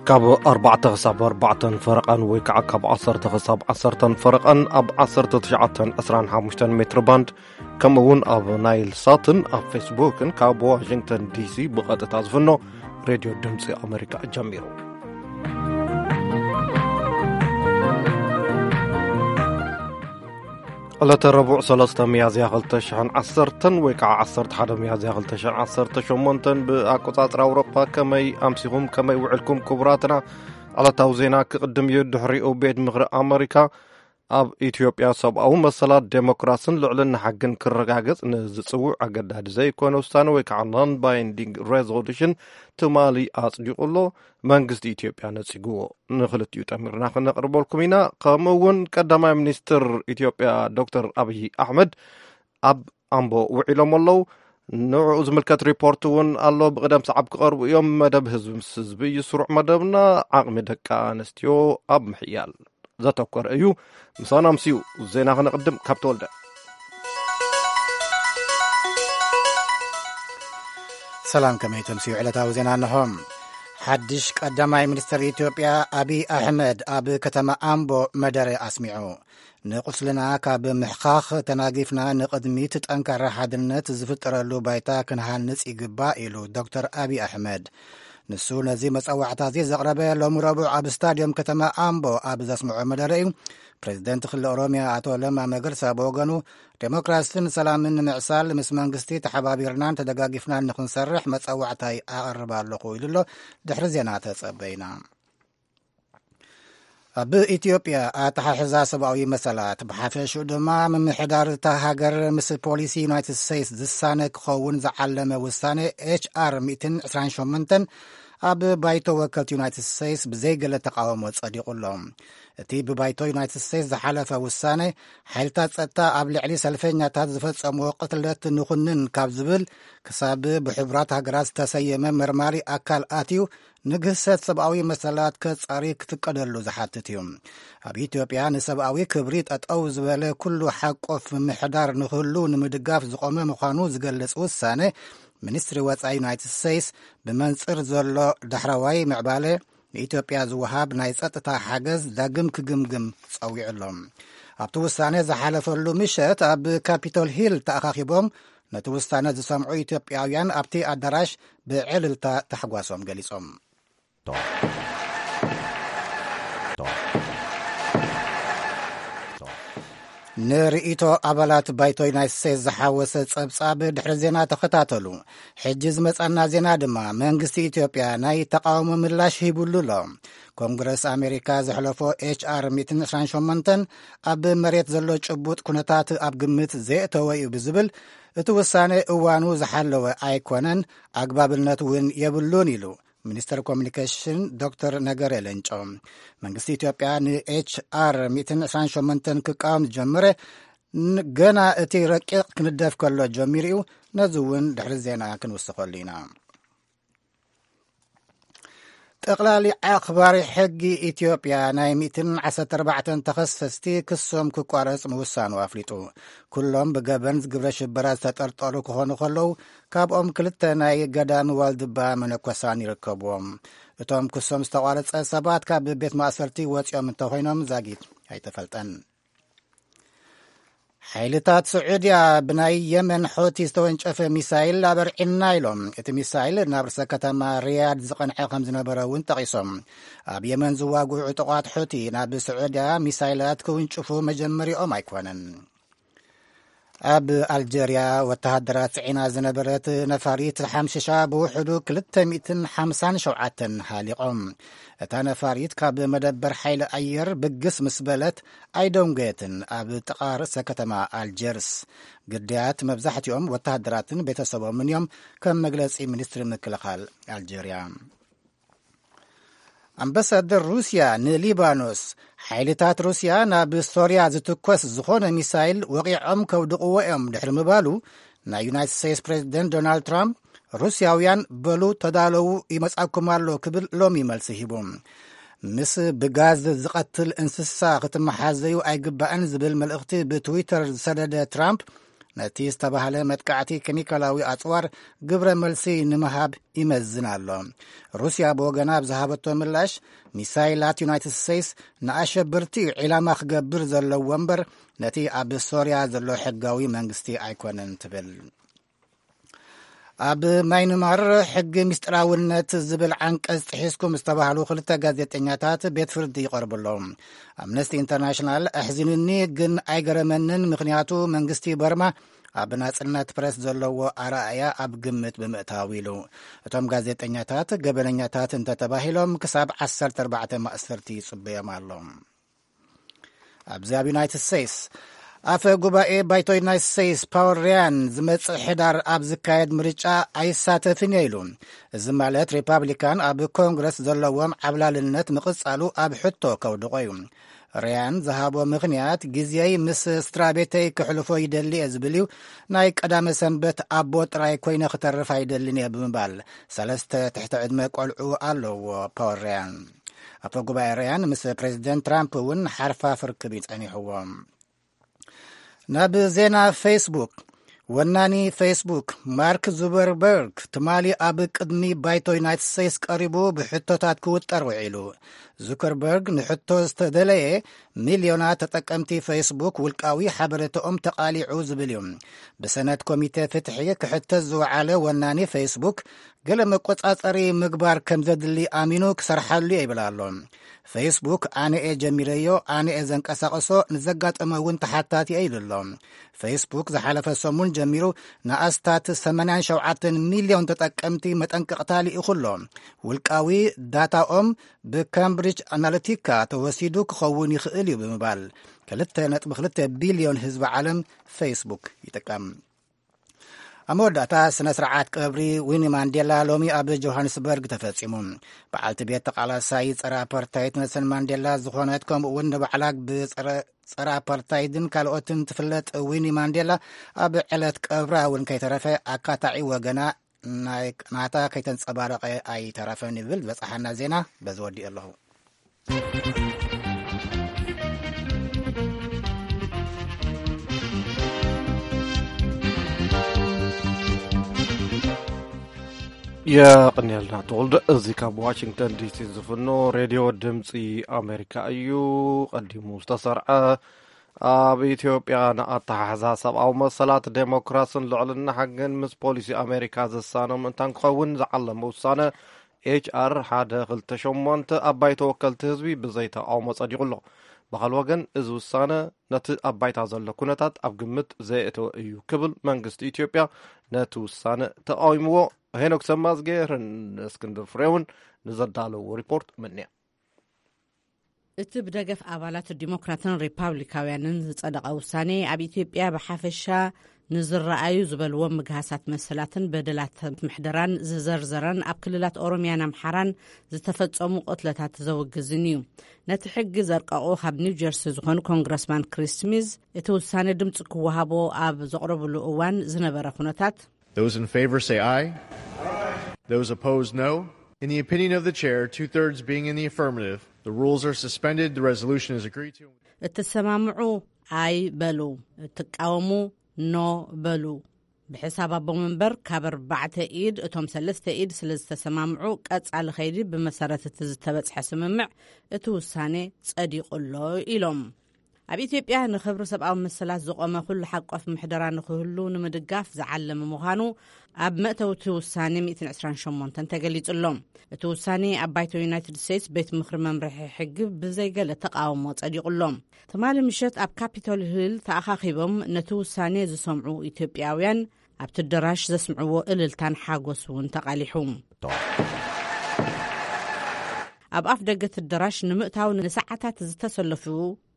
ካብ ኣርባዕተ ክሳብ ኣርባዕተን ፈረቓን ወይ ከዓ ካብ ዓሰርተ ክሳብ ዓሰርተን ፈረቓን ኣብ ዓሰርተ ትሽዓተን ዕስራን ሓሙሽተን ሜትሮ ባንድ፣ ከምኡ እውን ኣብ ናይል ሳትን ኣብ ፌስቡክን ካብ ዋሽንግተን ዲሲ ብቐጥታ ዝፍኖ ሬድዮ ድምፂ ኣሜሪካ ጀሚሩ። ዕለተ ረቡዕ ሰለስተ ሚያዝያ ክልተ ሽሕን ዓሰርተን ወይ ከዓ ዓሰርተ ሓደ ሚያዝያ ክልተ ሽሕን ዓሰርተ ሸሞንተን ብኣቆጻጽራ ኣውሮፓ። ከመይ ኣምሲኹም፣ ከመይ ውዕልኩም ክቡራትና? ዕለታዊ ዜና ክቕድም እዩ። ድሕሪኡ ቤት ምኽሪ ኣመሪካ ኣብ ኢትዮጵያ ሰብኣዊ መሰላት፣ ዴሞክራስን ልዕልና ሕግን ክረጋገጽ ንዝጽውዕ ኣገዳዲ ዘይኮነ ውሳነ ወይ ከዓ non binding resolution ትማሊ ኣጽዲቑ ኣሎ። መንግስቲ ኢትዮጵያ ነጺግዎ። ንኽልቲኡ ጠሚርና ክነቕርበልኩም ኢና። ከምኡ እውን ቀዳማይ ሚኒስትር ኢትዮጵያ ዶክተር ኣብይ ኣሕመድ ኣብ ኣምቦ ውዒሎም ኣለዉ። ንዕኡ ዝምልከት ሪፖርት እውን ኣሎ። ብቕደም ሰዓብ ክቐርቡ እዮም። መደብ ህዝቢ ምስ ህዝቢ እዩ ስሩዕ መደብና። ዓቕሚ ደቂ ኣንስትዮ ኣብ ምሕያል ዘተኮረ እዩ። ምሳና ምስዩ ዜና ክነቕድም ካብ ተወልደ። ሰላም፣ ከመይ ተምስዩ? ዕለታዊ ዜና እንሆ። ሓድሽ ቀዳማይ ሚኒስትር ኢትዮጵያ ኣብይ ኣሕመድ ኣብ ከተማ ኣምቦ መደረ ኣስሚዑ። ንቁስልና ካብ ምሕኻኽ ተናጊፍና ንቕድሚት ጠንካራ ሓድነት ዝፍጠረሉ ባይታ ክንሃንጽ ይግባእ ኢሉ ዶክተር ኣብይ ኣሕመድ። ንሱ ነዚ መጸዋዕታ እዚ ዘቕረበ ሎሚ ረቡዕ ኣብ ስታድዮም ከተማ ኣምቦ ኣብ ዘስምዖ መደረ እዩ። ፕሬዚደንት ክልል ኦሮሚያ ኣቶ ለማ መገርሳ ብወገኑ፣ ዴሞክራሲን ሰላምን ንምዕሳል ምስ መንግስቲ ተሓባቢርናን ተደጋጊፍናን ንኽንሰርሕ መጸዋዕታይ ኣቕርብ ኣለኹ ኢሉ ኣሎ። ድሕሪ ዜና ተጸበይና። ኣብ ኢትዮጵያ ኣተሓሕዛ ሰብኣዊ መሰላት ብሓፈሽኡ ድማ ምምሕዳር እታ ሃገር ምስ ፖሊሲ ዩናይትድ ስቴትስ ዝሳነ ክኸውን ዝዓለመ ውሳኔ ኤች ኣር ሚእትን ዕስራን ሸሞንተን ኣብ ባይቶ ወከልቲ ዩናይትድ ስቴትስ ብዘይገለ ተቃውሞ ጸዲቑ ኣሎ። እቲ ብባይቶ ዩናይትድ ስቴትስ ዝሓለፈ ውሳኔ፣ ሓይልታት ጸጥታ ኣብ ልዕሊ ሰልፈኛታት ዝፈጸምዎ ቅትለት ንኹንን ካብ ዝብል ክሳብ ብሕቡራት ሃገራት ዝተሰየመ መርማሪ ኣካል ኣትዩ ንግህሰት ሰብኣዊ መሰላት ከጻሪ ክፍቀደሉ ዝሓትት እዩ። ኣብ ኢትዮጵያ ንሰብኣዊ ክብሪ ጠጠው ዝበለ ኩሉ ሓቆፍ ምምሕዳር ንክህሉ ንምድጋፍ ዝቆመ ምዃኑ ዝገልጽ ውሳነ፣ ሚኒስትሪ ወጻኢ ዩናይትድ ስቴትስ ብመንጽር ዘሎ ዳሕረዋይ ምዕባለ ንኢትዮጵያ ዝወሃብ ናይ ጸጥታ ሓገዝ ዳግም ክግምግም ጸዊዑ ኣሎ። ኣብቲ ውሳነ ዝሓለፈሉ ምሸት ኣብ ካፒቶል ሂል ተኣኻኺቦም ነቲ ውሳነ ዝሰምዑ ኢትዮጵያውያን ኣብቲ ኣዳራሽ ብዕልልታ ታሕጓሶም ገሊጾም። ንርእይቶ ኣባላት ባይቶ ዩናይትድ ስቴትስ ዝሓወሰ ጸብጻብ ድሕሪ ዜና ተኸታተሉ። ሕጂ ዝመጻና ዜና ድማ፣ መንግስቲ ኢትዮጵያ ናይ ተቃውሞ ምላሽ ሂቡሉ ኣሎ። ኮንግረስ ኣሜሪካ ዘሕለፎ ኤች ኣር ሚእትን ዕስራን ሸሞንተን ኣብ መሬት ዘሎ ጭቡጥ ኩነታት ኣብ ግምት ዘየእተወ እዩ ብዝብል፣ እቲ ውሳነ እዋኑ ዝሓለወ ኣይኮነን፣ ኣግባብነት እውን የብሉን ኢሉ ሚኒስተር ኮሚኒኬሽን ዶክተር ነገረ ለንጮ። መንግስቲ ኢትዮጵያ ንኤች ኣር ሚእትን ዕስራን ሸሞንተን ክቃወም ዝጀመረ፣ ን-፣ ገና እቲ ረቂቕ ክንደፍ ከሎ ጀሚሩ እዩ። ነዚ እውን ድሕሪ ዜና ክንውስኸሉ ኢና። ጠቕላሊ ኣኽባሪ ሕጊ ኢትዮጵያ ናይ ሚእትን ዓሰርተ ኣርባዕተን ተኸሰስቲ ክሶም ክቋረጽ ምውሳኑ ኣፍሊጡ። ኩሎም ብገበን ግብረ ሽበራ ዝተጠርጠሩ ክኾኑ ከለዉ፣ ካብኦም ክልተ ናይ ገዳም ዋልድባ መነኮሳን ይርከብዎም። እቶም ክሶም ዝተቋረጸ ሰባት ካብ ቤት ማእሰርቲ ወጺኦም እንተኾይኖም ዛጊት ኣይተፈልጠን። ሓይልታት ስዑድያ ብናይ የመን ሖቲ ዝተወንጨፈ ሚሳይል ኣበርዒና ኢሎም። እቲ ሚሳይል ናብ ርእሰ ከተማ ሪያድ ዝቐንዐ ከም ዝነበረ እውን ጠቒሶም። ኣብ የመን ዝዋግዑ ዕጡቓት ሖቲ ናብ ስዑድያ ሚሳይላት ክውንጭፉ መጀመሪኦም ኣይኮነን። ኣብ ኣልጀርያ ወተሃደራት ጽዒና ዝነበረት ነፋሪት ሓምሽሻ ብውሕዱ ክልተ ሚእትን ሓምሳን ሸውዓተን ሃሊቖም። እታ ነፋሪት ካብ መደበር ሓይሊ ኣየር ብግስ ምስ በለት ኣይደንጎየትን። ኣብ ጥቓ ርእሰ ከተማ ኣልጀርስ ግዳያት መብዛሕትኦም ወተሃደራትን ቤተሰቦምን እዮም፣ ከም መግለጺ ሚኒስትሪ ምክልኻል ኣልጀርያ። ኣምባሳደር ሩስያ ንሊባኖስ፣ ሓይልታት ሩስያ ናብ ሶርያ ዝትኮስ ዝኾነ ሚሳይል ወቒዖም ከውድቕዎ እዮም ድሕሪ ምባሉ፣ ናይ ዩናይትድ ስቴትስ ፕሬዚደንት ዶናልድ ትራምፕ፣ ሩስያውያን በሉ ተዳለዉ፣ ይመጻኩም ኣሎ ክብል ሎሚ መልሲ ሂቡ። ምስ ብጋዝ ዝቐትል እንስሳ ክትመሓዘዩ ኣይግባእን ዝብል መልእኽቲ ብትዊተር ዝሰደደ ትራምፕ፣ ነቲ ዝተባህለ መጥቃዕቲ ኬሚካላዊ ኣጽዋር ግብረ መልሲ ንምሃብ ይመዝን ኣሎ። ሩስያ ብወገና ኣብ ዝሃበቶ ምላሽ፣ ሚሳይላት ዩናይትድ ስቴትስ ንኣሸበርቲ ዒላማ ክገብር ዘለዎ እምበር፣ ነቲ ኣብ ሶርያ ዘሎ ሕጋዊ መንግስቲ ኣይኮነን ትብል። ኣብ ማይንማር ሕጊ ምስጢራውነት ዝብል ዓንቀጽ ጥሒስኩም ዝተባህሉ ክልተ ጋዜጠኛታት ቤት ፍርዲ ይቐርቡ ኣለዉ። ኣምነስቲ ኢንተርናሽናል ኣሕዚኑኒ ግን ኣይገረመንን፣ ምኽንያቱ መንግስቲ በርማ ኣብ ናጽነት ፕረስ ዘለዎ ኣረኣእያ ኣብ ግምት ብምእታው ኢሉ። እቶም ጋዜጠኛታት ገበነኛታት እንተተባሂሎም ክሳብ ዓሰርተ ኣርባዕተ ማእሰርቲ ይጽበዮም ኣሎ። ኣብዚ ኣብ ዩናይትድ ስቴትስ፣ ኣፈ ጉባኤ ባይቶ ዩናይትድ ስቴትስ ፓወል ሪያን ዝመጽእ ሕዳር ኣብ ዝካየድ ምርጫ ኣይሳተፍን እየ ኢሉ። እዚ ማለት ሪፓብሊካን ኣብ ኮንግረስ ዘለዎም ዓብላልነት ምቕጻሉ ኣብ ሕቶ ከውድቖ እዩ። ሪያን ዝሃቦ ምኽንያት፣ ግዜይ ምስ ስድራ ቤተይ ክሕልፎ ይደሊ እየ ዝብል እዩ። ናይ ቀዳመ ሰንበት ኣቦ ጥራይ ኮይነ ክተርፍ ኣይደልን እየ ብምባል፣ ሰለስተ ትሕቲ ዕድመ ቆልዑ ኣለዎ ፓወል ሪያን። ኣፈ ጉባኤ ሪያን ምስ ፕሬዚደንት ትራምፕ እውን ሓርፋፍ ርክብ ይጸኒሕዎም። ናብ ዜና ፌስቡክ። ወናኒ ፌስቡክ ማርክ ዙበርበርግ ትማሊ ኣብ ቅድሚ ባይቶ ዩናይትድ ስቴትስ ቀሪቡ ብሕቶታት ክውጠር ውዒሉ። ዙከርበርግ ንሕቶ ዝተደለየ፣ ሚልዮናት ተጠቀምቲ ፌስቡክ ውልቃዊ ሓበሬታኦም ተቓሊዑ ዝብል እዩ። ብሰነት ኮሚቴ ፍትሒ ክሕተት ዝወዓለ ወናኒ ፌስቡክ፣ ገለ መቆጻጸሪ ምግባር ከም ዘድሊ ኣሚኑ ክሰርሓሉ እየ ይብል ኣሎ። ፌስቡክ ኣነ እየ ጀሚረዮ፣ ኣነ እየ ዘንቀሳቐሶ፣ ንዘጋጠመ እውን ተሓታቲ እየ ኢሉ ኣሎ። ፌስቡክ ዝሓለፈ ሰሙን ጀሚሩ ንኣስታት ሰማንያን ሸውዓተን ሚልዮን ተጠቀምቲ መጠንቀቕታ ልኢኹ ኣሎ። ውልቃዊ ዳታኦም ብካምብሪጅ ኣናሊቲካ ተወሲዱ ክኸውን ይኽእል እዩ ብምባል፣ ክልተ ነጥቢ ክልተ ቢልዮን ህዝቢ ዓለም ፌስቡክ ይጥቀም። ኣብ መወዳእታ፣ ስነ ስርዓት ቀብሪ ዊኒ ማንዴላ ሎሚ ኣብ ጆሃንስበርግ ተፈጺሙ። በዓልቲ ቤት ተቓላሳይ ጸረ ኣፓርታይድ ኔልሰን ማንዴላ ዝኾነት፣ ከምኡ እውን ንባዕላ ብጸረ፣ ጸረ ኣፓርታይድን ካልኦትን ትፍለጥ ዊኒ ማንዴላ፣ ኣብ ዕለት ቀብራ እውን ከይተረፈ ኣካታዒ ወገና ናይ ናታ ከይተንጸባረቐ ኣይተረፈን ይብል ዝበጽሓና ዜና። በዚ ወዲኡ ኣለኹ። የቕንየልና ተወልደ። እዚ ካብ ዋሽንግተን ዲሲ ዝፍኖ ሬድዮ ድምፂ ኣሜሪካ እዩ። ቀዲሙ ዝተሰርዐ፣ ኣብ ኢትዮጵያ ንኣተሓሕዛ ሰብኣዊ መሰላት፣ ዴሞክራስን ልዕልና ሕግን ምስ ፖሊሲ ኣሜሪካ ዝሳነ ምእንታን ክኸውን ዝዓለመ ውሳነ ኤች ኣር ሓደ ክልተ ሸሞንተ ኣብ ባይቶ ወከልቲ ህዝቢ ብዘይ ተቓውሞ ጸዲቑ ኣሎ። ብኻልእ ወገን፣ እዚ ውሳነ ነቲ ኣብ ባይታ ዘሎ ኩነታት ኣብ ግምት ዘየእተወ እዩ ክብል መንግስቲ ኢትዮጵያ ነቲ ውሳነ ተቓዊምዎ። ሄኖክ ሰማዝጌርን እስክንድር ፍሬውን ንዘዳለዎ ሪፖርት ምንያ። እቲ ብደገፍ ኣባላት ዲሞክራትን ሪፓብሊካውያንን ዝጸደቐ ውሳኔ፣ ኣብ ኢትዮጵያ ብሓፈሻ ንዝረኣዩ ዝበልዎም ምግሃሳት መሰላትን በደላት ምሕደራን ዝዘርዘረን፣ ኣብ ክልላት ኦሮሚያን ኣምሓራን ዝተፈጸሙ ቅትለታት ዘውግዝን እዩ። ነቲ ሕጊ ዘርቀቑ ካብ ኒው ጀርሲ ዝኾኑ ኮንግረስማን ክሪስ ስሚዝ፣ እቲ ውሳኔ ድምፂ ክወሃቦ ኣብ ዘቕረብሉ እዋን ዝነበረ ኩነታት፣ Those in favor say aye. Those opposed, no. In the opinion of the chair, two-thirds being in the affirmative, the rules are suspended, the resolution is agreed to. እትሰማምዑ ኣይ በሉ፣ እትቃወሙ ኖ በሉ። ብሕሳብ ኣቦ መንበር ካብ ኣርባዕተ ኢድ እቶም ሰለስተ ኢድ ስለ ዝተሰማምዑ፣ ቀጻሊ ኸይዲ ብመሰረት እቲ ዝተበጽሐ ስምምዕ እቲ ውሳኔ ጸዲቑ ኣሎ ኢሎም። ኣብ ኢትዮጵያ ንኽብሪ ሰብኣዊ መሰላት ዝቖመ ኩሉ ሓቋፍ ምሕደራ ንኽህሉ ንምድጋፍ ዝዓለመ ምዃኑ ኣብ መእተዊ እቲ ውሳኔ ሚእትን ዕስራን ሸሞንተን ተገሊጹ ኣሎ። እቲ ውሳኔ ኣብ ባይቶ ዩናይትድ ስቴትስ ቤት ምኽሪ መምርሒ ሕጊ ብዘይገለ ተቓውሞ ጸዲቑ ኣሎ። ትማሊ ምሸት ኣብ ካፒቶል ሂል ተኣኻኺቦም ነቲ ውሳኔ ዝሰምዑ ኢትዮጵያውያን ኣብቲ ኣደራሽ ዘስምዕዎ እልልታን ሓጎስ እውን ተቓሊሑ። ኣብ ኣፍ ደገ እቲ ኣደራሽ ንምእታው ንሰዓታት ዝተሰለፉ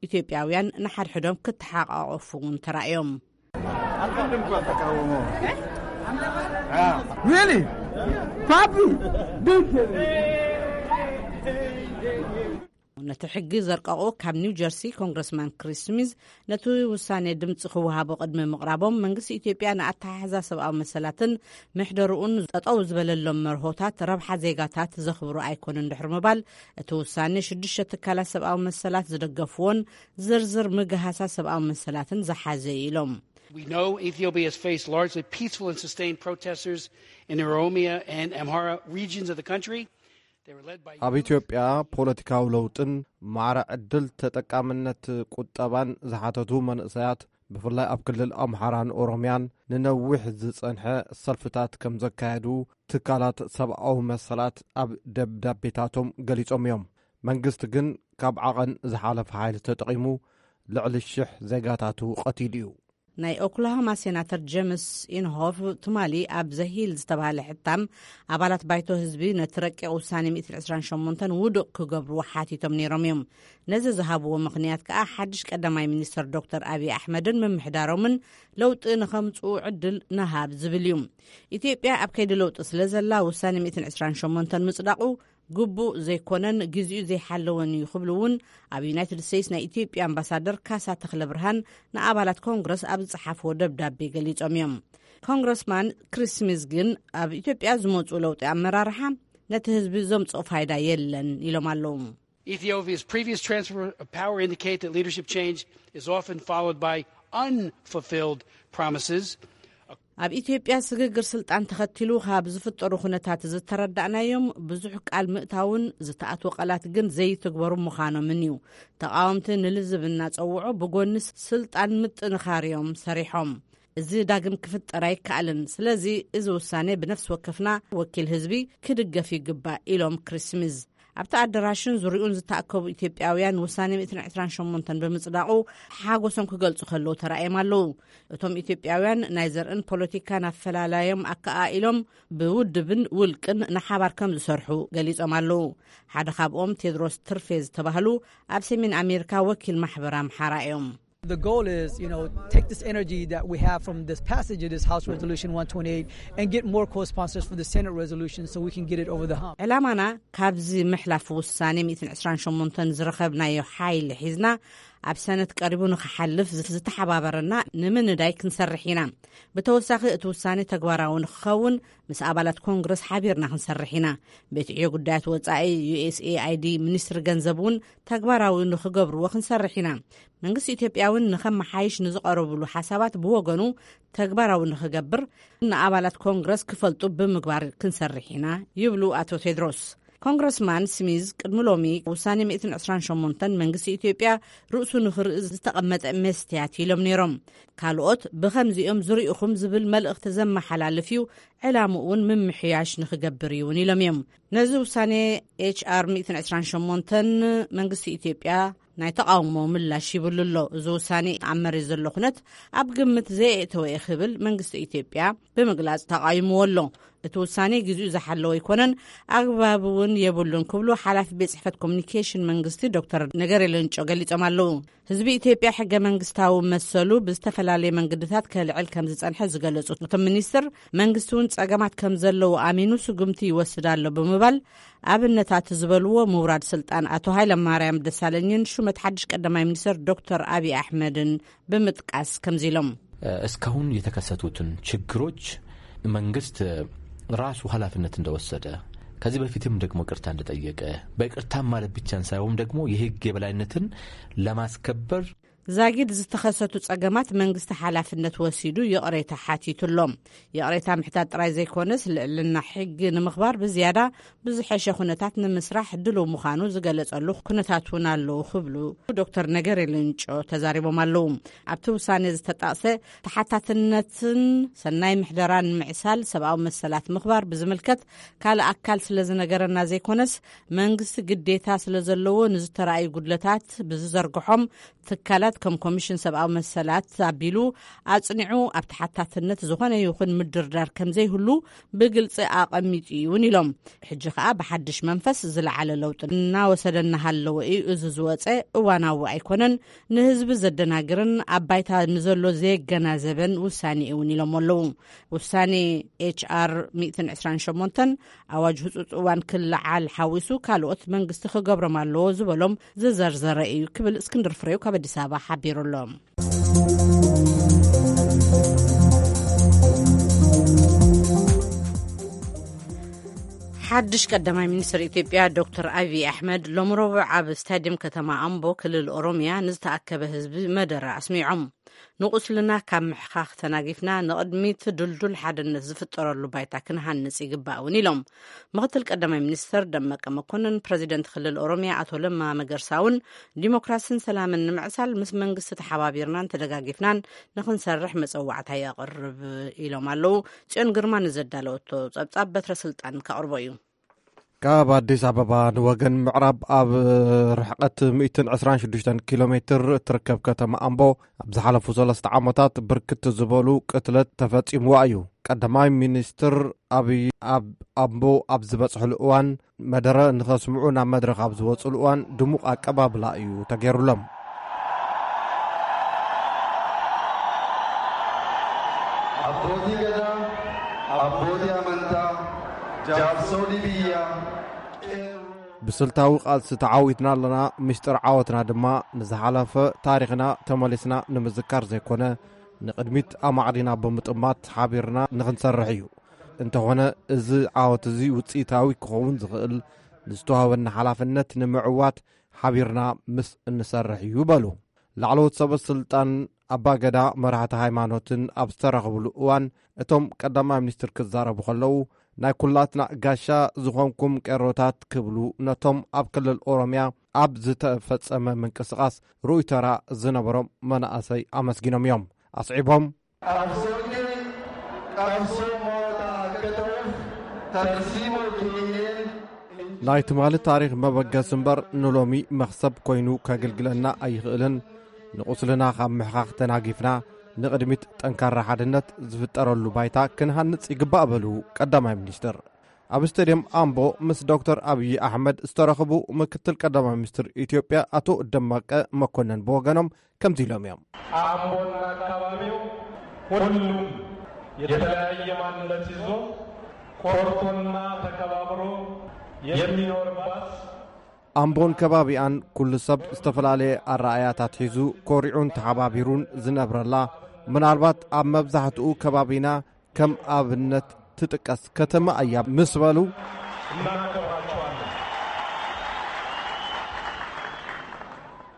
ኢትዮጵያውያን ንሓድሕዶም ክተሓቃቐፉ እውን ተራእዮም። Really? Papi? ነቲ ሕጊ ዘርቀቑ ካብ ኒው ጀርሲ ኮንግረስማን ክሪስ ስሚዝ፣ ነቲ ውሳኔ ድምፂ ክወሃቦ ቅድሚ ምቕራቦም፣ መንግስቲ ኢትዮጵያ ንኣተሓሕዛ ሰብኣዊ መሰላትን ምሕደርኡን ጠጠው ዝበለሎም መርሆታት ረብሓ ዜጋታት ዘኽብሩ ኣይኮኑን ድሕሪ ምባል፣ እቲ ውሳኔ ሽዱሽተ ትካላት ሰብኣዊ መሰላት ዝደገፍዎን ዝርዝር ምግሃሳ ሰብኣዊ መሰላትን ዝሓዘ እዩ ኢሎም። We know Ethiopia has faced largely peaceful and sustained protesters in Oromia and Amhara regions of the country. They were led by ኣብ ኢትዮጵያ ፖለቲካዊ ለውጥን ማዕረ ዕድል ተጠቃምነት ቁጠባን ዝሓተቱ መንእሰያት፣ ብፍላይ ኣብ ክልል ኣምሓራን ኦሮምያን፣ ንነዊሕ ዝጸንሐ ሰልፍታት ከም ዘካየዱ ትካላት ሰብኣዊ መሰላት ኣብ ደብዳቤታቶም ገሊጾም እዮም። መንግስቲ ግን ካብ ዓቐን ዝሓለፈ ሓይሊ ተጠቒሙ ልዕሊ ሽሕ ዜጋታቱ ቀቲሉ እዩ። ናይ ኦክላሆማ ሴናተር ጀምስ ኢንሆፍ ትማሊ ኣብ ዘሂል ዝተባህለ ሕታም፣ ኣባላት ባይቶ ህዝቢ ነቲ ረቂቕ ውሳኔ ሚእትን ዕስራን ሸሞንተን ውዱቕ ክገብርዎ ሓቲቶም ነይሮም እዮም። ነዚ ዝሃብዎ ምኽንያት ከኣ ሓድሽ ቀዳማይ ሚኒስተር ዶክተር ኣብይ ኣሕመድን ምምሕዳሮምን ለውጢ ንኸምጽኡ ዕድል ንሃብ ዝብል እዩ። ኢትዮጵያ ኣብ ከይዲ ለውጢ ስለ ዘላ ውሳኔ ሚእትን ዕስራን ሸሞንተን ምጽዳቑ ግቡእ ዘይኮነን ግዜኡ ዘይሓለወን እዩ ክብሉ እውን ኣብ ዩናይትድ ስቴትስ ናይ ኢትዮጵያ ኣምባሳደር ካሳ ተኽለ ብርሃን ንኣባላት ኮንግረስ ኣብ ዝጸሓፍዎ ደብዳቤ ገሊጾም እዮም። ኮንግረስማን ክሪስ ስሚዝ ግን ኣብ ኢትዮጵያ ዝመጹ ለውጢ ኣመራርሓ ነቲ ህዝቢ ዘምጽኦ ፋይዳ የለን ኢሎም ኣለዉ። Ethiopia's previous transfer of power indicate that leadership change is often followed by unfulfilled promises. ኣብ ኢትዮጵያ ስግግር ስልጣን ተኸቲሉ ካብ ዝፍጠሩ ኩነታት ዝተረዳእናዮም ብዙሕ ቃል ምእታውን ዝተኣትወ ቃላት ግን ዘይትግበሩ ምዃኖምን እዩ። ተቃወምቲ ንልዝብ እናጸውዑ ብጎኒ ስልጣን ምጥንኻር እዮም ሰሪሖም። እዚ ዳግም ክፍጠር ኣይከኣልን። ስለዚ እዚ ውሳኔ ብነፍሲ ወከፍና ወኪል ህዝቢ ክድገፍ ይግባእ ኢሎም ክሪስ ስሚዝ። ኣብቲ ኣደራሽን ዙሪኡን ዝተኣከቡ ኢትዮጵያውያን ውሳኔ ሚእትን ዕስራን ሸሞንተን ብምጽዳቑ ሓጎሶም ክገልጹ ከለዉ ተራእዮም ኣለዉ። እቶም ኢትዮጵያውያን ናይ ዘርእን ፖለቲካን ኣፈላላዮም ኣከኣኢሎም ብውድብን ውልቅን ንሓባር ከም ዝሰርሑ ገሊጾም ኣለዉ። ሓደ ካብኦም ቴድሮስ ትርፌ ዝተባህሉ ኣብ ሰሜን ኣሜሪካ ወኪል ማሕበር ኣምሓራ እዮም። The goal is, you know, take this energy that we have from this passage of this House Resolution one twenty-eight and get more co-sponsors for the Senate resolution so we can get it over the hump. ዕላማና ካብዚ ምሕላፍ ውሳኔ ሚእትን ዕስራን ሸሞንተን ዝረኸብናዮ ሓይሊ ሒዝና ኣብ ሰነት ቀሪቡ ንኽሓልፍ ዝተሓባበረና ንምንዳይ ክንሰርሕ ኢና። ብተወሳኺ እቲ ውሳኔ ተግባራዊ ንክኸውን ምስ ኣባላት ኮንግረስ ሓቢርና ክንሰርሕ ኢና። ቤት ዕዮ ጉዳያት ወጻኢ ዩ ኤስ ኤ ኣይ ዲ ሚኒስትሪ ገንዘብ እውን ተግባራዊ ንክገብርዎ ክንሰርሕ ኢና። መንግስቲ ኢትዮጵያ እውን ንኸመሓይሽ ንዝቐረብሉ ሓሳባት ብወገኑ ተግባራዊ ንክገብር ንኣባላት ኮንግረስ ክፈልጡ ብምግባር ክንሰርሕ ኢና ይብሉ ኣቶ ቴድሮስ። ኮንግረስማን ስሚዝ ቅድሚ ሎሚ ውሳኔ ሚእትን ዕስራን ሸሞንተን መንግስቲ ኢትዮጵያ ርእሱ ንኽርኢ ዝተቐመጠ መስትያት ኢሎም ነይሮም። ካልኦት ብኸምዚኦም ዝርኢኹም ዝብል መልእኽቲ ዘመሓላልፍ እዩ፣ ዕላምኡ እውን ምምሕያሽ ንኽገብር እዩ እውን ኢሎም እዮም። ነዚ ውሳኔ ኤች ኣር ሚእትን ዕስራን ሸሞንተን መንግስቲ ኢትዮጵያ ናይ ተቓውሞ ምላሽ ይብሉ ኣሎ። እዚ ውሳኔ ኣብ መሬት ዘሎ ኩነት ኣብ ግምት ዘየእተወ እዩ ክብል መንግስቲ ኢትዮጵያ ብምግላጽ ተቓይምዎ ኣሎ። እቲ ውሳኔ ግዜኡ ዝሓለወ ኣይኮነን፣ ኣግባብ እውን የብሉን ክብሉ ሓላፊ ቤት ጽሕፈት ኮሚኒኬሽን መንግስቲ ዶክተር ነገሪ ሌንጮ ገሊጾም ኣለዉ። ህዝቢ ኢትዮጵያ ሕገ መንግስታዊ መሰሉ ብዝተፈላለየ መንገድታት ከልዕል ከም ዝጸንሐ ዝገለጹ እቶም ሚኒስትር፣ መንግስቲ እውን ጸገማት ከም ዘለዉ ኣሚኑ ስጉምቲ ይወስድ ኣሎ ብምባል ኣብነታት ዝበልዎ ምውራድ ስልጣን ኣቶ ሃይለማርያም ደሳለኝን ሹመት ሓድሽ ቀዳማይ ሚኒስትር ዶክተር ኣብይ ኣሕመድን ብምጥቃስ ከምዚ ኢሎም። እስካሁን የተከሰቱትን ችግሮች መንግስት ራሱ ኃላፊነት እንደወሰደ፣ ከዚህ በፊትም ደግሞ ይቅርታ እንደጠየቀ፣ በይቅርታም ማለት ብቻን ሳይሆን ደግሞ የህግ የበላይነትን ለማስከበር ዛጊድ ዝተኸሰቱ ጸገማት መንግስቲ ሓላፍነት ወሲዱ ይቕሬታ ሓቲቱ ኣሎ። ይቕሬታ ምሕታት ጥራይ ዘይኮነስ ልዕልና ሕጊ ንምኽባር ብዝያዳ ብዝሐሸ ኩነታት ንምስራሕ ድሉው ምዃኑ ዝገለጸሉ ኩነታት እውን ኣለዉ ክብሉ ዶክተር ነገሪ ሌንጮ ተዛሪቦም ኣለዉ። ኣብቲ ውሳኔ ዝተጠቕሰ ተሓታትነትን ሰናይ ምሕደራን ምዕሳል ሰብኣዊ መሰላት ምኽባር ብዝምልከት ካልእ ኣካል ስለ ዝነገረና ዘይኮነስ መንግስቲ ግዴታ ስለ ዘለዎ ንዝተራእዩ ጉድለታት ብዝዘርግሖም ትካላት ከም ኮሚሽን ሰብኣዊ መሰላት ኣቢሉ ኣጽኒዑ ኣብ ተሓታትነት ዝኾነ ይኹን ምድርዳር ከም ዘይህሉ ብግልጺ ኣቐሚጡ እዩ እውን ኢሎም። ሕጂ ከኣ ብሓድሽ መንፈስ ዝለዓለ ለውጢ እናወሰደ እናሃለወ እዩ። እዚ ዝወጸ እዋናዊ ኣይኮነን፣ ንህዝቢ ዘደናግርን ኣብ ባይታ ንዘሎ ዘየገናዘበን ውሳኔ እዩ እውን ኢሎም ኣለዉ። ውሳኔ ኤች ኣር ሚእትን ዕስራን ሸሞንተን ኣዋጅ ህጹጽ እዋን ክለዓል ሓዊሱ ካልኦት መንግስቲ ክገብሮም ኣለዎ ዝበሎም ዝዘርዘረ እዩ ክብል እስክንድር ፍሬው ካብ ኣዲስ ኣበባ ሓቢሩ ኣሎ። ሓድሽ ቀዳማይ ሚኒስትር ኢትዮጵያ ዶክተር ኣብይ ኣሕመድ ሎሚ ረቡዕ ኣብ ስታዲየም ከተማ ኣምቦ ክልል ኦሮምያ ንዝተኣከበ ህዝቢ መደረ ኣስሚዖም። ንቁስልና ካብ ምሕኻኽ ተናጊፍና ንቕድሚት ድልዱል ሓድነት ዝፍጠረሉ ባይታ ክንሃንጽ ይግባእ እውን ኢሎም። ምክትል ቀዳማይ ሚኒስትር ደመቀ መኮንን፣ ፕረዚደንት ክልል ኦሮሚያ ኣቶ ለማ መገርሳ እውን ዲሞክራስን ሰላምን ንምዕሳል ምስ መንግስቲ ተሓባቢርናን ተደጋጊፍናን ንኽንሰርሕ መጸዋዕታ የቕርብ ኢሎም ኣለዉ። ጽዮን ግርማ ንዘዳለወቶ ጸብጻብ በትረ ስልጣን ከቕርቦ እዩ። ካብ ኣዲስ ኣበባ ንወገን ምዕራብ ኣብ ርሕቀት ሚእትን ዕስራን ሽዱሽተን ኪሎ ሜትር እትርከብ ከተማ ኣምቦ፣ ኣብ ዝሓለፉ ሰለስተ ዓመታት ብርክት ዝበሉ ቅትለት ተፈጺምዋ እዩ። ቀዳማይ ሚኒስትር ኣብይ ኣብ ኣምቦ ኣብ ዝበጽሕሉ እዋን፣ መደረ ንኸስምዑ ናብ መድረኽ ኣብ ዝወጽሉ እዋን ድሙቕ ኣቀባብላ እዩ ተገይሩሎም። Abbootii gadaa, abbootii amantaa, jaarsolii biyyaa, qeerroo. ብስልታዊ ቃልሲ ተዓዊትና ኣለና። ምስጢር ዓወትና ድማ ንዝሓለፈ ታሪኽና ተመሊስና ንምዝካር ዘይኮነ፣ ንቕድሚት ኣማዕዲና ብምጥማት ሓቢርና ንኽንሰርሕ እዩ። እንተኾነ፣ እዚ ዓወት እዚ ውፅኢታዊ ክኸውን ዝኽእል፣ ንዝተዋህበና ሓላፍነት ንምዕዋት ሓቢርና ምስ እንሰርሕ እዩ በሉ። ላዕለዎት ሰበ ስልጣን፣ ኣባገዳ፣ መራሕቲ ሃይማኖትን ኣብ ዝተረኸብሉ እዋን፣ እቶም ቀዳማይ ሚኒስትር ክዛረቡ ከለዉ፣ ናይ ኩላትና ጋሻ ዝኾንኩም ቄሮታት ክብሉ ነቶም ኣብ ክልል ኦሮሚያ ኣብ ዝተፈጸመ ምንቅስቓስ ርኡይ ተራ ዝነበሮም መናእሰይ ኣመስጊኖም እዮም። ኣስዒቦም፣ Qabsoonni qabsoo moo'ataa akka ta'uuf tarsiimoo keenyeen ናይ ትማሊ ታሪኽ መበገሲ እምበር ንሎሚ መኽሰብ ኮይኑ ከግልግለና ኣይኽእልን። ንቑስልና ካብ ምሕኻኽ ተናጊፍና ንቕድሚት ጠንካራ ሓድነት ዝፍጠረሉ ባይታ ክንሃንጽ ይግባእ በሉ ቀዳማይ ሚኒስትር። ኣብ ስቴድየም ኣምቦ ምስ ዶክተር ኣብዪ ኣሕመድ ዝተረኽቡ ምክትል ቀዳማይ ሚኒስትር ኢትዮጵያ ኣቶ ደመቀ መኮንን ብወገኖም ከምዚ ኢሎም እዮም። አምቦና አካባቢው ሁሉም የተለያየ ማንነት ይዞ ኮርቶና ተከባብሮ የሚኖርባት ኣምቦን ከባቢኣን ኩሉ ሰብ ዝተፈላለየ ኣረኣያታት ሒዙ ኮሪዑን ተሓባቢሩን ዝነብረላ፣ ምናልባት ኣብ መብዛሕትኡ ከባቢና ከም ኣብነት ትጥቀስ ከተማ እያ ምስ በሉ፣ እናከብራችኋለን።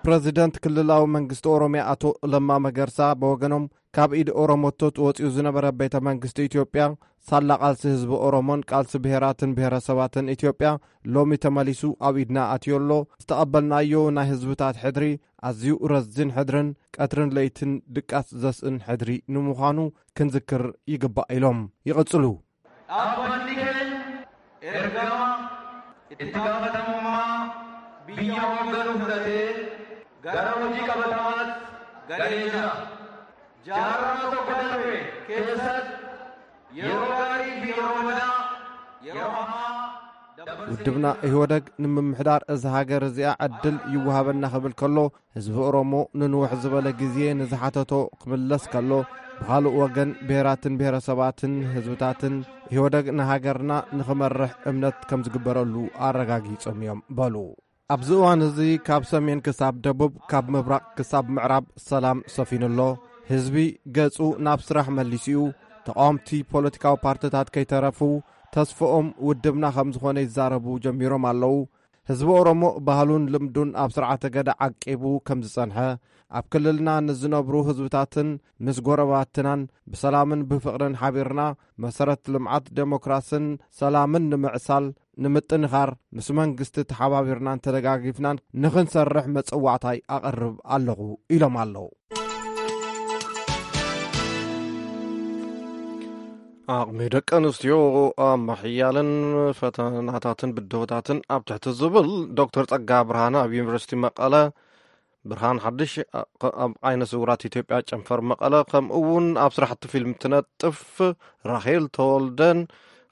ፕረዚደንት ክልላዊ መንግስቲ ኦሮሚያ ኣቶ ለማ መገርሳ ብወገኖም፣ ካብ ኢድ ኦሮሞቶት ወፂኡ ዝነበረ ቤተ መንግስቲ ኢትዮጵያ፣ ሳላ ቃልሲ ህዝቢ ኦሮሞን ቃልሲ ብሄራትን ብሄረሰባትን ኢትዮጵያ ሎሚ ተመሊሱ ኣብ ኢድና ኣትዮ ኣሎ። ዝተቐበልናዮ ናይ ህዝብታት ሕድሪ ኣዝዩ ረዚን ሕድርን ቀትርን ለይትን ድቃስ ዘስእን ሕድሪ ንምዃኑ ክንዝክር ይግባእ ኢሎም ይቕጽሉ። Dhaabbanni keenya ergama itti gaafatamummaa biyya hoogganuu fudhatee gara hojii qabatamaatti galee jira. Jaarraa tokko darbe keessatti yeroo gaarii fi yeroo badaa, yeroo hamaa dabarsee ውድብና ኢህወደግ ንምምሕዳር እዛ ሃገር እዚኣ ዕድል ይወሃበና ክብል ከሎ፣ ህዝቢ ኦሮሞ ንንውሕ ዝበለ ግዜ ንዝሓተቶ ክምለስ ከሎ፣ ብኻልእ ወገን ብሄራትን ብሄረሰባትን ህዝብታትን ኢህወደግ ንሃገርና ንኽመርሕ እምነት ከም ዝግበረሉ ኣረጋጊጾም እዮም በሉ። ኣብዚ እዋን እዚ ካብ ሰሜን ክሳብ ደቡብ፣ ካብ ምብራቕ ክሳብ ምዕራብ ሰላም ሰፊኑ ኣሎ። ህዝቢ ገጹ ናብ ስራሕ መሊሱ እዩ። ተቓወምቲ ፖለቲካዊ ፓርትታት ከይተረፉ ተስፍኦም ውድብና ከም ዝኾነ ይዛረቡ ጀሚሮም ኣለዉ። ህዝቢ ኦሮሞ ባህሉን ልምዱን ኣብ ስርዓተ ገዳ ዓቂቡ ከም ዝጸንሐ፣ ኣብ ክልልና ንዝነብሩ ህዝብታትን ምስ ጎረባትናን ብሰላምን ብፍቕርን ሓቢርና መሰረት ልምዓት ዴሞክራስን ሰላምን ንምዕሳል ንምጥንኻር ምስ መንግስቲ ተሓባቢርናን ተደጋጊፍናን ንኽንሰርሕ መጸዋዕታይ ኣቐርብ ኣለኹ ኢሎም ኣለዉ። ዓቕሚ ደቂ ኣንስትዮ ኣብ ምሕያልን ፈተናታትን ብድሆታትን ኣብ ትሕቲ ዝብል ዶክተር ጸጋ ብርሃነ ኣብ ዩኒቨርሲቲ መቐለ፣ ብርሃን ሓድሽ ኣብ ዓይነ ስውራት ኢትዮጵያ ጨንፈር መቐለ፣ ከምኡ እውን ኣብ ስራሕቲ ፊልም ትነጥፍ ራሄል ተወልደን፣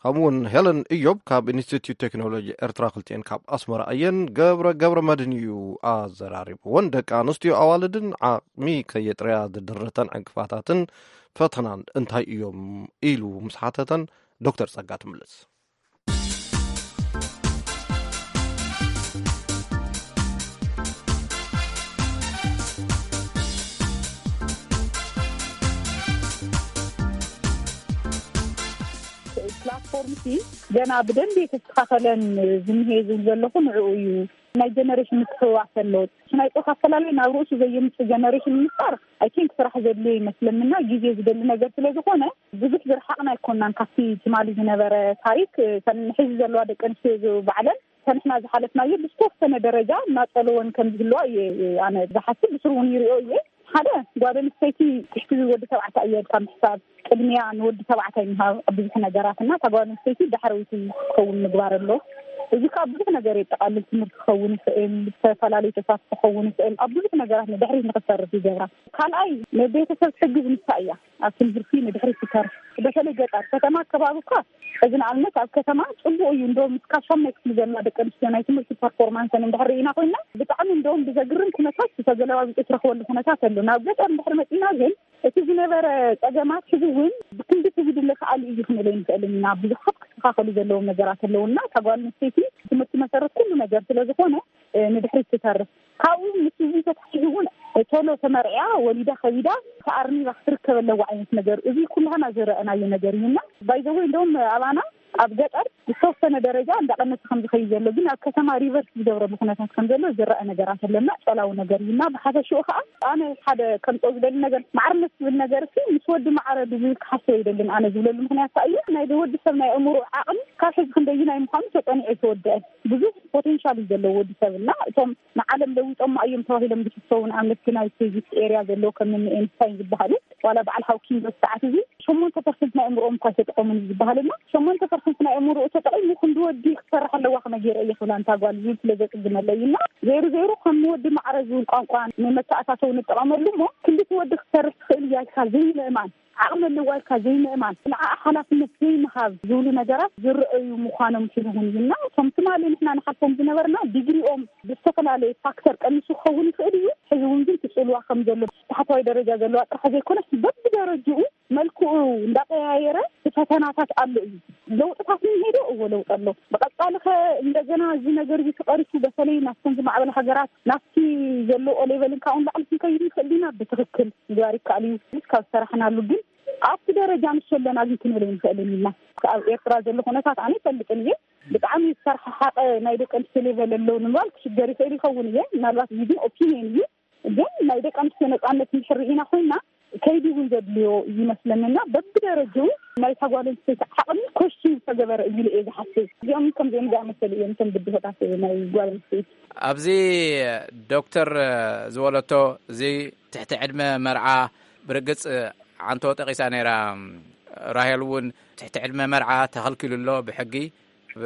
ከምኡ እውን ሄለን እዮብ ካብ ኢንስቲትዩት ቴክኖሎጂ ኤርትራ ክልቲኤን ካብ ኣስመራ እየን። ገብረ ገብረ መድን እዩ ኣዘራሪብወን። ደቂ ኣንስትዮ ኣዋልድን ዓቕሚ ከየጥረያ ዝድርተን ዕንቅፋታትን ፈተናን እንታይ እዮም ኢሉ ምስ ሓተተን ዶክተር ጸጋ ትምልስ። ፕላትፎርም ሲ ገና ብደንቢ የተስተኻኸለን ዝምሄ ዝብል ዘለኹ ንዕኡ እዩ። ናይ ጀነሬሽን ምትሕውዋስ ኣለዎ። ናይ ፆታ ኣፈላላይ ናብ ርእሱ ዘየምፅእ ጀነሬሽን ንምፍጣር ኣይ ቲንክ ስራሕ ዘድልዮ ይመስለምና፣ ግዜ ዝደሊ ነገር ስለ ዝኾነ ብዙሕ ዝረሓቕና ኣይኮናን ካብቲ ትማሊ ዝነበረ ታሪክ። እተን ሕዚ ዘለዋ ደቂ ኣንስትዮ ባዕለን ሰንሕና ዝሓለፍናዮ ብዝተወሰነ ደረጃ እናጸለወን ከም ዝህልዋ እየ ኣነ ዝሓስብ። ብስሩ እውን ይሪኦ እየ። ሓደ ጓል ኣንስተይቲ ትሕቲ ወዲ ተባዕታይ እየ ኢልካ ምሕሳብ፣ ቅድሚያ ንወዲ ተባዕታይ ምሃብ ኣብ ብዙሕ ነገራት እና እታ ጓል ኣንስተይቲ ዳሕረወይቲ ክትኸውን ምግባር ኣሎ። እዚ ከዓ ብዙሕ ነገር የጠቃልል። ትምህርቲ ክኸውን ይኽእል፣ ዝተፈላለዩ ተሳትፎ ክኸውን ይኽእል። ኣብ ብዙሕ ነገራት ንድሕሪት ንክትሰርፍ ይገብራ። ካልኣይ ንቤተሰብ ትሕግዝ ንሳ እያ። ኣብ ትምህርቲ ንድሕሪት ትተርፍ። በተለይ ገጠር፣ ከተማ ኣከባቢ እኳ፣ እዚ ንኣብነት ኣብ ከተማ ጽቡቕ እዩ። እንደውም እስካብ ሻምናይ ክፍሊ ዘላ ደቂ ኣንስትዮ ናይ ትምህርቲ ፐርፎርማንሰን እንድሕር ርኢና ኮይና፣ ብጣዕሚ እንደውም ብዘግርም ኩነታት ተገለባቢጡ ትረኽበሉ ኩነታት ኣሎ። ናብ ገጠር እንድሕር መጺና ግን እቲ ዝነበረ ጸገማት ሕዚ እውን ብክንድቲ ዝድለ ከኣሉ እዩ ክንብል ኣይንኽእልን ኢና። ብዙሓት ክስተኻኸሉ ዘለዎም ነገራት ኣለውና እታ ጓል ኣንስተይቲ ትምህርቲ መሰረት ኩሉ ነገር ስለ ዝኾነ ንድሕሪት ትተርፍ። ካብኡ ምስ እዚ ተታሒዙ እውን ቶሎ ተመርዕያ ወሊዳ ከቢዳ ተኣርኒባ ክትርከብ ኣለዋ ዓይነት ነገር፣ እዚ ኩላህና ዝረኣናዮ ነገር እዩና። ባይዘወይ እንደውም ኣባና ኣብ ገጠር ዝተወሰነ ደረጃ እንዳቐነሰ ከም ዝኸይድ ዘሎ፣ ግን ኣብ ከተማ ሪቨርስ ዝገብረሉ ኩነታት ከም ዘሎ ዝረአ ነገራት ኣለና። ጨላዊ ነገር እዩና። ብሓፈሽኡ ከዓ ኣነ ሓደ ከምፀው ዝደሊ ነገር፣ ማዕርነት ዝብል ነገር ሲ ምስ ወዲ ማዕረ ዝብል ክሓስብ ኣይደልን። ኣነ ዝብለሉ ምክንያት ከዓ እዩ ናይ ወዲ ሰብ ናይ ኣእምሮ ዓቕሚ ካብ ሕዚ ክንደይናይ ምዃኑ ተፀኒዑ ኣይተወደአን። ብዙሕ ፖቴንሻል እዩ ዘለዎ ወዲ ሰብ እና እቶም ንዓለም ለዊጦማ እዮም ተባሂሎም ዝሕሰቡ ንኣብነት ናይ ፊዚክስ ኤርያ ዘለዎ ከም እኒ ኤንስታይን ዝበሃሉ ዋላ በዓል ሃውኪንግ በዚ ሰዓት እዚ ሸሞንተ ፐርሰንት ናይ ኣእምሮኦም እኳ ኣይተጠቐሙን እዩ ዝበሃል እና ሸሞንተ ፐርሰንት ናይ ኣእምሮኡ ተጠቒሙ ክንዲ ወዲ ክትሰርሕ ኣለዋ ከመይ ገይረ እየ ክብላ እንታ ጓል ዝብል ስለ ዘፅግመለይ እና ዘይሩ ዘይሩ ከም ወዲ ማዕረ ዝብል ቋንቋ ንመተኣታተው ንጠቐመሉ እሞ ክንዲ እቲ ወዲ ክትሰርሕ ትኽእል እያ ኢልካ ዘይምእማን ዓቕሚ ኣለዋ ኢልካ ዘይምእማን፣ ንዓኣ ሓላፍነት ዘይምሃብ ዝብሉ ነገራት ዝረኣዩ ምዃኖም ሕዚ እውን እዩ እና እቶም ትማሊ ንሕና ንሓልፎም ዝነበርና ዲግሪኦም ብዝተፈላለየ ፋክተር ቀኒሱ ክኸውን ይኽእል እዩ። ሕዚ እውን ግን ትፅልዋ ከም ዘሎ ታሕተዋይ ደረጃ ዘለዋ ጥራሕ ዘይኮነስ በብደረጅኡ መልክዑ እንዳቀያየረ ፈተናታት ኣሎ እዩ። ለውጥታት እንሄዶ እዎ ለውጥ ኣሎ። ብቐፃሊ ከ እንደገና እዚ ነገር እዚ ተቐሪፉ በተለይ ናብተን ዝማዕበለ ሃገራት ናብቲ ዘለዎ ሌቨልን ካብኡ ንላዕሊ ክንከይድ ንኽእል ዲና? ብትኽክል ምግባር ይከኣል እዩ ካብ ዝሰራሕናሉ። ግን ኣብቲ ደረጃ ንሱ ኣለና ግን ክንብል ኣይንኽእልን ኢልና። ኣብ ኤርትራ ዘሎ ኩነታት ኣነ ይፈልጥን እየ። ብጣዕሚ ዝተረሓሓቀ ናይ ደቂ ኣንስትዮ ሌቨል ኣለዉ ንምባል ክሽገር ይኽእል ይኸውን እየ። ምናልባት እዚ ግን ኦፒንየን እዩ። ግን ናይ ደቂ ኣንስትዮ ነፃነት እንድሕር ርኢና ኮይና ከይዲ እውን ዘድልዮ ይመስለንና። በብደረጅኡ ናይ ጓል ኣንስተይቲ ዓቕሚ ኮሽን ዝተገበረ እዩ ኢለ እየ ዝሓስብ። እዚኦም ከምዚኦም ዝኣመሰሉ እዮም እቶም ብድሆታት ናይ ጓል ኣንስተይቲ። ኣብዚ ዶክተር ዝበለቶ እዚ ትሕቲ ዕድመ መርዓ ብርግጽ ዓንቶ ጠቒሳ ነይራ። ራሄል እውን ትሕቲ ዕድመ መርዓ ተኸልኪሉ ኣሎ ብሕጊ። ኣብ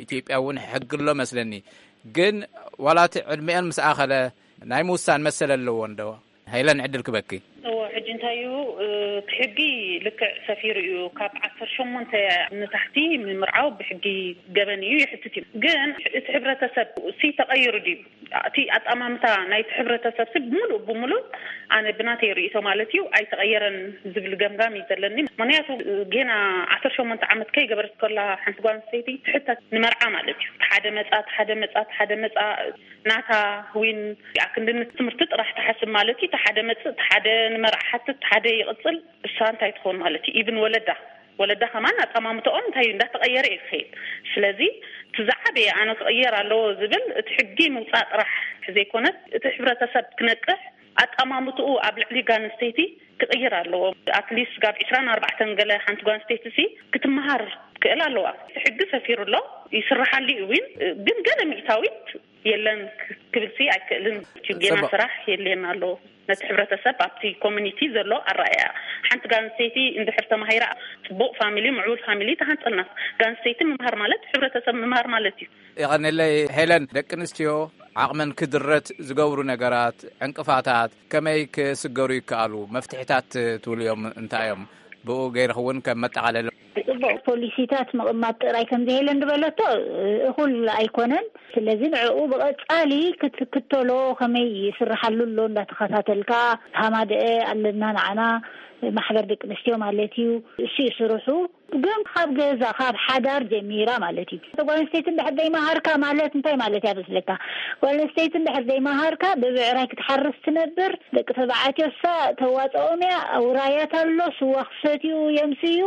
ኢትዮጵያ እውን ሕጊ ኣሎ መስለኒ። ግን ዋላ እቲ ዕድመአን ምስ ኣኸለ ናይ ምውሳን መሰል ኣለወን ዶ? ሄለን ዕድል ክበኪ። እዎ፣ ሕጂ እንታይ እዩ፣ እቲ ሕጊ ልክዕ ሰፊሩ እዩ። ካብ ዓሰርተ ሸሞንተ ንታሕቲ ምምርዓው ብሕጊ ገበን እዩ፣ የሕትት እዩ። ግን እቲ ሕብረተሰብ ሲ ተቐይሩ ድዩ? እቲ ኣጠማምታ ናይቲ ሕብረተሰብ ሲ ብምሉእ ብምሉእ ኣነ ብናተይ ርእይቶ ማለት እዩ ኣይተቐየረን ዝብል ገምጋም እዩ ዘለኒ። ምክንያቱ ጌና ዓሰርተ ሸሞንተ ዓመት ከይገበረት ከላ ሓንቲ ጓል ኣንስተይቲ ትሕተት ንመርዓ ማለት እዩ። ሓደ መጻ፣ ሓደ መጻ፣ ሓደ መጻ ናታ ዊን ኣክንዲ ንትምህርቲ ጥራሕ ትሓስብ ማለት እዩ። ሓደ መጽእ፣ ሓደ ንመርዓ ሓትት፣ ሓደ ይቕጽል። እሳ እንታይ ትኾን ማለት እዩ? ኢብን ወለዳ ወለዳ ከማን ኣጠማምትኦም እንታይ እዩ እንዳተቐየረ እዩ ዝኸይድ። ስለዚ እቲ ዝዓበየ ኣነ ክቕየር ኣለዎ ዝብል እቲ ሕጊ ምውፃእ ጥራሕ ዘይኮነስ እቲ ሕብረተሰብ ክነቅሕ ኣጠማምትኡ ኣብ ልዕሊ ጓል ኣንስተይቲ ክቕየር ኣለዎ። ኣትሊስት ጋብ ዕስራን ኣርባዕተን ገለ ሓንቲ ጓል ኣንስተይቲ ሲ ክትመሃር ክእል ኣለዋ። እቲ ሕጊ ሰፊሩ ኣሎ ይስራሓሉ እዩ እውን ግን ገለ ሚእታዊት የለን ክብል ሲ ኣይክእልን። ጌና ስራሕ የድልየና ኣሎ። ነቲ ሕብረተሰብ ኣብቲ ኮሚኒቲ ዘሎ ኣረኣእያ ሓንቲ ጋል ኣንስተይቲ እንድሕር ተማሂራ ፅቡቅ ፋሚሊ ምዕቡል ፋሚሊ ተሃንፀልና። ጋል ኣንስተይቲ ምምሃር ማለት ሕብረተሰብ ምምሃር ማለት እዩ። የቐንለይ ሄለን፣ ደቂ ኣንስትዮ ዓቕመን ክድረት ዝገብሩ ነገራት፣ ዕንቅፋታት ከመይ ክስገሩ ይከኣሉ? መፍትሒታት ትብልዮም እንታይ እዮም? ብኡ ገይርክ እውን ከም መጠቓለሊ። ፅቡቕ ፖሊሲታት ምቕማጥ ጥራይ ከምዚ ሄለን ዝበለቶ እኹል ኣይኮነን። ስለዚ ንዕኡ ብቐፃሊ ክትክተሎ ከመይ ይስርሓሉ ኣሎ እንዳተኸታተልካ ሃማደአ ኣለና ንዓና ማሕበር ደቂ ኣንስትዮ ማለት እዩ። እሱ እዩ ስርሑ። ግን ካብ ገዛ፣ ካብ ሓዳር ጀሚራ ማለት እዩ። ጓል ኣንስተይቲ እንድሕር ዘይመሃርካ ማለት እንታይ ማለት እያ መስለካ? ጓል ኣንስተይቲ እንድሕር ዘይመሃርካ ብብዕራይ ክትሓርስ ትነብር፣ ደቂ ተባዕትዮ እሳ ተዋፅኦም እያ፣ ውራያት ኣሎ፣ ስዋ ክሰትዩ የምስዩ፣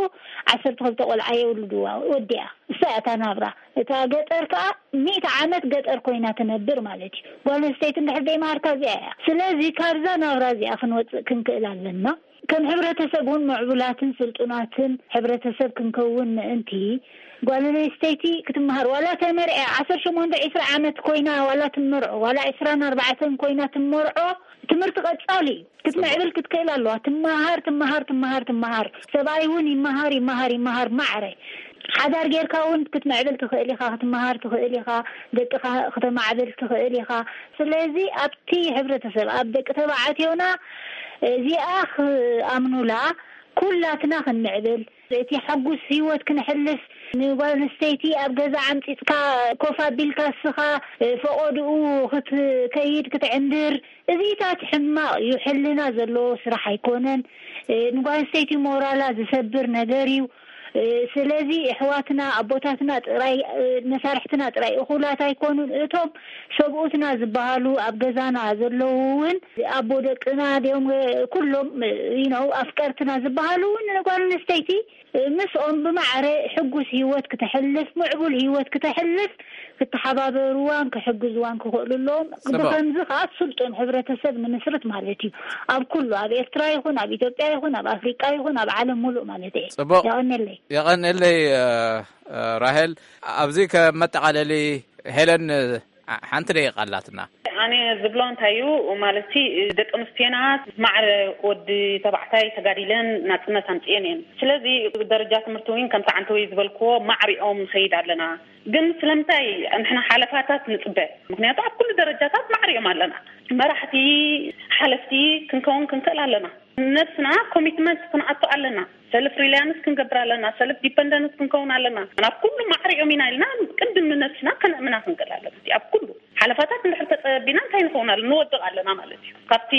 ዓሰርተ ክልተ ቆልዓ የውልድዋ፣ ወዲኣ። እሳ እያ እታ ናብራ። እታ ገጠር ከኣ ሚእቲ ዓመት ገጠር ኮይና ትነብር ማለት እዩ። ጓል ኣንስተይቲ እንድሕር ዘይመሃርካ እዚኣ እያ። ስለዚ ካብዛ ናብራ እዚኣ ክንወፅእ ክንክእል ኣለና። ከም ሕብረተሰብ እውን ምዕቡላትን ስልጡናትን ሕብረተሰብ ክንከውን ምእንቲ፣ ጓል ኣንስተይቲ ክትመሃር፣ ዋላ ተመርዐ ዓሰርተ ሸሞንተ ዒስራ ዓመት ኮይና ዋላ ትመርዖ፣ ዋላ ዒስራን ኣርባዕተን ኮይና ትመርዖ፣ ትምህርቲ ቀጻሊ እዩ። ክትምዕብል ክትክእል ኣለዋ። ትመሃር፣ ትመሃር፣ ትመሃር፣ ትመሃር። ሰብኣይ እውን ይመሃር፣ ይመሃር፣ ይመሃር፣ ማዕረ። ሓዳር ጌርካ እውን ክትምዕብል ትኽእል ኢኻ፣ ክትመሃር ትኽእል ኢኻ፣ ደቅኻ ክተማዕብል ትኽእል ኢኻ። ስለዚ ኣብቲ ሕብረተሰብ፣ ኣብ ደቂ ተባዕትዮና እዚኣ ክኣምኑላ፣ ኩላትና ክንምዕብል፣ እቲ ሕጉስ ህይወት ክንሕልፍ፣ ንጓል ኣንስተይቲ ኣብ ገዛ ዓምጺጽካ ኮፍ ኣቢልካ እስኻ ፈቐድኡ ክትከይድ ክትዕንድር፣ እዚታት ሕማቕ እዩ። ሕልና ዘለዎ ስራሕ ኣይኮነን። ንጓል ኣንስተይቲ ሞራላ ዝሰብር ነገር እዩ። ስለዚ ኣሕዋትና፣ ኣቦታትና ጥራይ፣ መሳርሕትና ጥራይ እኹላት ኣይኮኑን። እቶም ሰብኡትና ዝበሃሉ ኣብ ገዛና ዘለዉ እውን ኣቦ ደቅና ድዮም፣ ኩሎም፣ you know፣ ኣፍቀርትና ዝበሃሉ እውን ንጓል ኣንስተይቲ ምስኦም ብማዕረ ሕጉስ ህይወት ክተሕልፍ፣ ምዕቡል ህይወት ክተሕልፍ ክተሓባበርዋን ክሕግዝዋን ክኽእሉ ኣለዎም። ጽቡቕ። ብኸምዚ ከኣ ስልጡን ሕብረተሰብ ንምስርት ማለት እዩ። ኣብ ኩሉ፣ ኣብ ኤርትራ ይኹን፣ ኣብ ኢትዮጵያ ይኹን፣ ኣብ ኣፍሪቃ ይኹን፣ ኣብ ዓለም ሙሉእ ማለት እየ። ጽቡቕ። የቐንየለይ። የቐንየለይ፣ እ፣ እ፣ ራሄል። ኣብዚ ከመጠቓለሊ ሄለን፣ እ፣ ሓንቲ ደቂቃ ኣላትና። ኣነ ዝብሎ እንታይ እዩ ማለት፣ ደቂ ኣንስትዮና ማዕረ ወዲ ተባዕታይ ተጋዲለን ናጽነት ኣምጽኤን እየን። ስለዚ ደረጃ ትምህርቲ እውን ከምቲ ዓንተወይ ዝበልክዎ ማዕሪኦም ንኸይድ ኣለና። ግን ስለምንታይ ንሕና ሓለፋታት ንጽበ? ምኽንያቱ ኣብ ኩሉ ደረጃታት ማዕሪኦም ኣለና። መራሕቲ፣ ሓለፍቲ ክንከውን ክንክእል ኣለና። ነብስና ኮሚትመንት ክንኣቱ ኣለና። ሰልፍ ሪላያንስ ክንገብር ኣለና። ሰልፍ ዲፐንደንስ ክንከውን ኣለና። ናብ ኩሉ ማዕሪኦም ኢና ኢልና ቅድም ንነብስና ከነእምና ክንክእል ኣለና። ኣብ ኩሉ ሓለፋታት እንድሕር ተጸቢና እንታይ ንኸውን ኣለና? ንወድቕ ኣለና ማለት እዩ። ካብቲ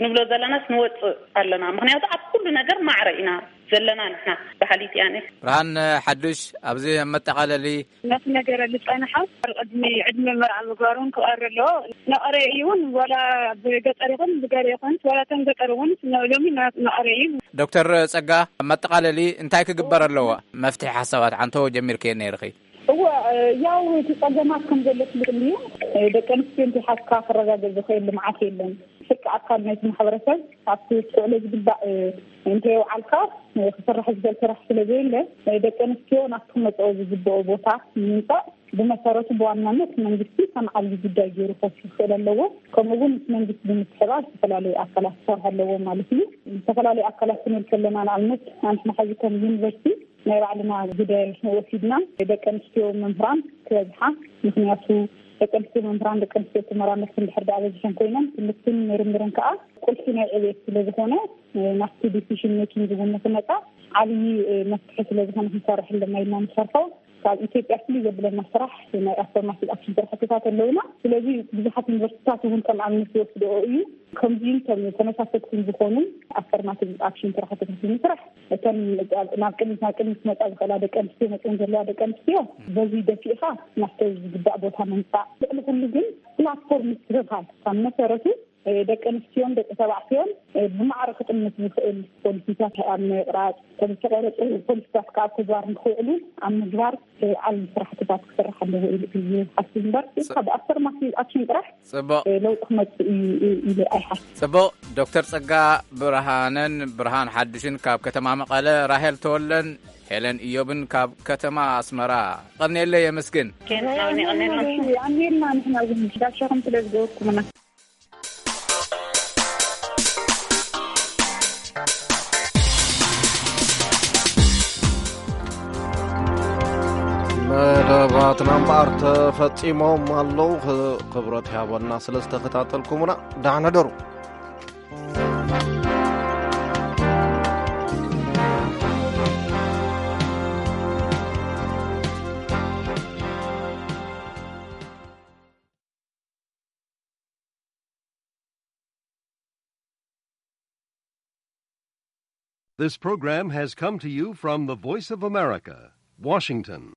ንብሎ ዘለናስ ንወጽእ ኣለና። ምኽንያቱ ኣብ ኩሉ ነገር ማዕረ ኢና ዘለና ንሕና በሃሊት እያ ኣነ። ብርሃን ሓዱሽ፣ ኣብዚ መጠቓለሊ ነቲ ነገር ዝጸንሓ ቅድሚ ዕድመ መርዓ ምግባር እውን ክቐሪ ኣለዎ። ነቐረ እዩ እውን ዋላ ብገጠር ይኹን ብገረ ይኹን ዋላ ተን ገጠር እውን ሎሚ ነቐረ እዩ። ዶክተር ጸጋ፣ መጠቓለሊ እንታይ ክግበር ኣለዎ? መፍትሒ ሓሳባት ዓንተዎ ጀሚርክዮ ነይርኺ። እወ፣ ያው እቲ ጸገማት ከም ዘሎ ፍሉጥ እዩ። ደቂ ኣንስትዮ እንተይሓዝካ ክረጋገጽ ዝኽእል ልምዓት የለን። ፍርቂ ኣካል ናይቲ ማሕበረሰብ ኣብቲ ክውዕሎ ዝግባእ እንተየውዓልካ ክስራሕ ዝኽእል ስራሕ ስለ ዘየለ፣ ደቂ ኣንስትዮ ናብቲ ክመጽኦ ዝግብኦ ቦታ ንምምጻእ ብመሰረቱ ብዋናነት መንግስቲ ከም ዓብዪ ጉዳይ ገይሩ ክወስድ ክኽእል ኣለዎ። ከምኡ እውን ምስ መንግስቲ ብምትሕብባር ዝተፈላለዩ ኣካላት ክሰርሑ ኣለዎም ማለት እዩ። ዝተፈላለዩ ኣካላት ክንብል ከለና ንኣብነት ኣንሕና ሕዚ ከም ዩኒቨርሲቲ ናይ ባዕልና ግደ ወሲድና ደቂ ኣንስትዮ መምህራን ክበዝሓ፣ ምኽንያቱ ደቂ ኣንስትዮ መምህራን ደቂ ኣንስትዮ ተመራመርቲ እንድሕር ደኣ በዚሐን ኮይነን ትምህርትን ምርምርን ከዓ ቁልፊ ናይ ዕቤት ስለ ዝኾነ ናብቲ ዲሲሽን ሜኪንግ እውን ንክመፃ ዓብዪ መፍትሒ ስለ ዝኾነ ክንሰርሕ ኣለና ኢልና ንሰርሖ። ካብ ኢትዮጵያ ፍልይ ዘብለና ስራሕ ናይ ኣፈርማቲቭ ኣክሽን ስራሕትታት ኣለውና። ስለዚ ብዙሓት ዩኒቨርሲቲታት እውን ከም ኣብነት ዝወስድኦ እዩ። ከምዚን ከም ተመሳሰልትን ዝኾኑ ኣፈርማቲቭ ኣክሽን ስራሕትታት ንምስራሕ እተን ናብ ቅድሚት ናብ ቅድሚት ክመፃ ዝኽእላ ደቂ ኣንስትዮ መፅን ዘለዋ ደቂ ኣንስትዮ በዚ ደፊእኻ ናብቲ ዝግባእ ቦታ ምምፃእ። ልዕሊ ኩሉ ግን ፕላትፎርም ምስትብሃል ካብ መሰረቱ ደቂ ኣንስትዮን ደቂ ተባዕትዮን ብማዕረ ክጥምት ዝኽእል ፖሊሲታት ኣብ ምቕራፅ፣ ከም ዝተቐረፁ ፖሊሲታት ከዓ ኣብ ተግባር ንክውዕሉ ኣብ ምግባር ዓብዪ ስራሕትታት ክስራሕ ኣለዎ ኢሉ እዩ ዝሓስብ እምበር፣ ካብ ኣፈርማቲቭ ኣክሽን ጥራሕ ፅቡቕ። ለውጢ ክመፅእ እዩ ኢሉ ኣይሓስብ። ፅቡቕ። ዶክተር ጸጋ ብርሃነን ብርሃን ሓዱሽን ካብ ከተማ መቐለ፣ ራሄል ተወለን ሄለን ኢዮብን ካብ ከተማ ኣስመራ። ቀንየለይ የመስግን። ኣሜልና ንሕና እውን ጋሻኹም ስለ ዝገበርኩምና። መደባትና እምበኣር ተፈጺሞም ኣለዉ። ኽ-፣ ክብረት ይሃበልና ስለ ዝተኸታተልኩምና። ደሓን ሕደሩ። This program has come to you from the Voice of America, Washington.